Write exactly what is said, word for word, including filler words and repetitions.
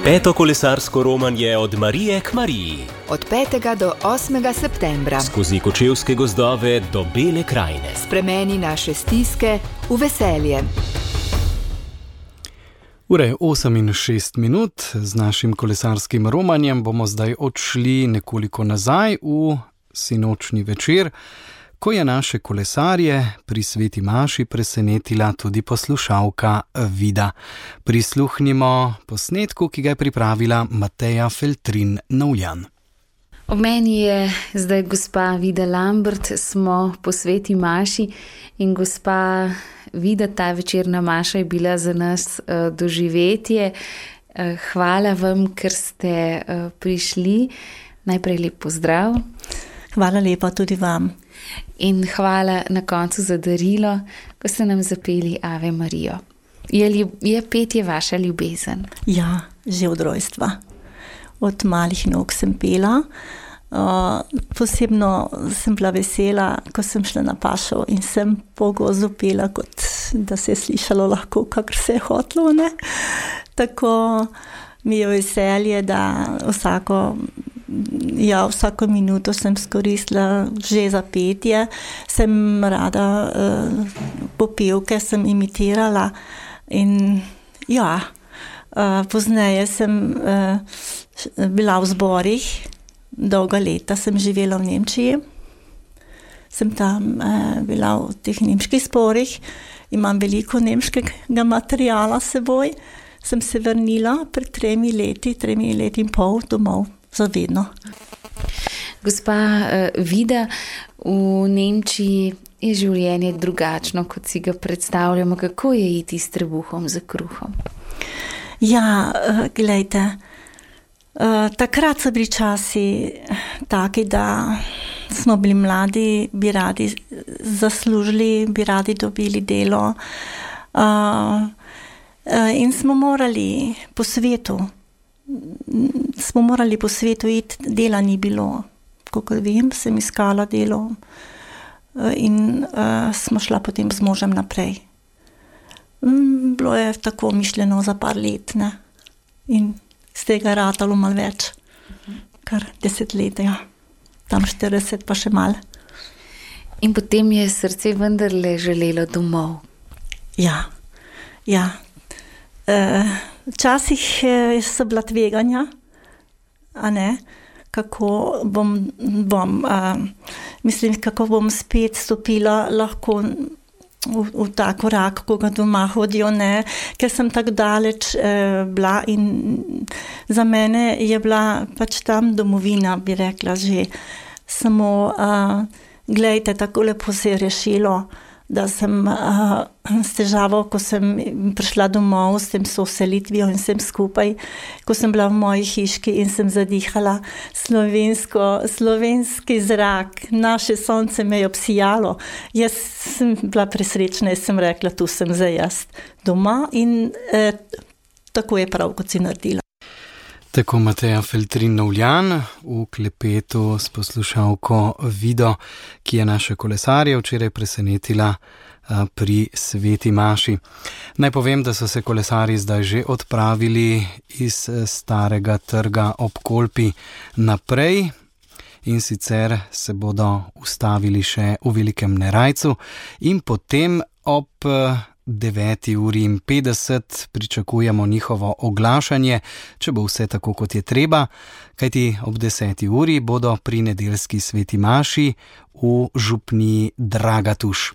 Peto kolesarsko romanje od Marije k Mariji. Od petega do osmega septembra. Skozi kočevske gozdove do Bele krajine. Spremeni naše stiske v veselje. Ura je osem in šest minut. Z našim kolesarskim romanjem bomo zdaj odšli nekoliko nazaj v sinočni večer, ko je naše kolesarje pri sveti maši presenetila tudi poslušalka Vida. Prisluhnimo posnetku, ki ga je pripravila Mateja Feltrin-Novljan. Ob meni je zdaj gospa Vida Lambert, smo po sveti maši in gospa Vida, ta večerna maša je bila za nas uh, doživetje. Uh, hvala vam, ker ste uh, prišli. Najprej lep pozdrav. Hvala lepa tudi vam. In hvala na koncu za darilo, ko ste nam zapeli Ave Marijo. Je, ljub, je petje vaša ljubezen? Ja, že od rojstva. Od malih nog sem pela. Uh, posebno sem bila vesela, ko sem šla na pašo in sem po gozdu pela, kot da se je slišalo lahko, kakor se je hotlo, ne? Tako mi je veselje, da vsako, ja, vsako minuto sem skoristila že za petje. Sem rada uh, popevke, sem imitirala in ja, uh, pozneje sem uh, bila v zborih. Dolga leta sem živela v Nemčiji. Sem tam eh, bila v teh nemških zborih. Imam veliko nemškega materiala s seboj. Sem se vrnila pred tremi leti, tremi leti in pol domov za vedno. Gospa eh, Vida, v Nemčiji je življenje drugačno, kot si ga predstavljamo. Kako je iti s trebuhom za kruhom? Ja, eh, glejte, Uh, takrat so bili časi taki, da smo bili mladi, bi radi zaslužili, bi radi dobili delo uh, uh, in smo morali po svetu, smo morali po svetu iti, dela ni bilo. Kakor vem, sem iskala delo uh, in uh, smo šla potem z možem naprej. Um, bilo je tako mišljeno za par let, ne? In z tega ratalo malo več, kar deset let, ja. Tam štirideset pa še malo. In potem je srce vendarle želelo domov. Ja, ja. Včasih e, so bila tveganja, a ne, kako bom, bom a, mislim, kako bom spet stopila lahko v, v ta korak, ko ga doma hodijo, ne, ker sem tako daleč eh, bila in za mene je bila pač tam domovina, bi rekla že. Samo, uh, glejte, tako lepo se je rešilo, da sem uh, s težavo, ko sem prišla domov s tem soselitvijo in vsem skupaj, ko sem bila v moji hiški in sem zadihala slovensko, slovenski zrak, naše sonce me je obsijalo. Jaz sem bila presrečna in sem rekla, tu sem zdaj jaz doma in eh, tako je prav, kot si naredila. Tako Mateja Feltrin-Novljan v klepetu s poslušalko Vido, ki je naše kolesarje včeraj presenetila pri sveti maši. Naj povem, da so se kolesarji zdaj že odpravili iz starega trga ob Kolpi naprej in sicer se bodo ustavili še v Velikem Nerajcu in potem ob deveti uri in petdeset pričakujemo njihovo oglašanje, če bo vse tako, kot je treba, kajti ob deseti uri bodo pri nedeljski sveti maši v župniji Dragatuš.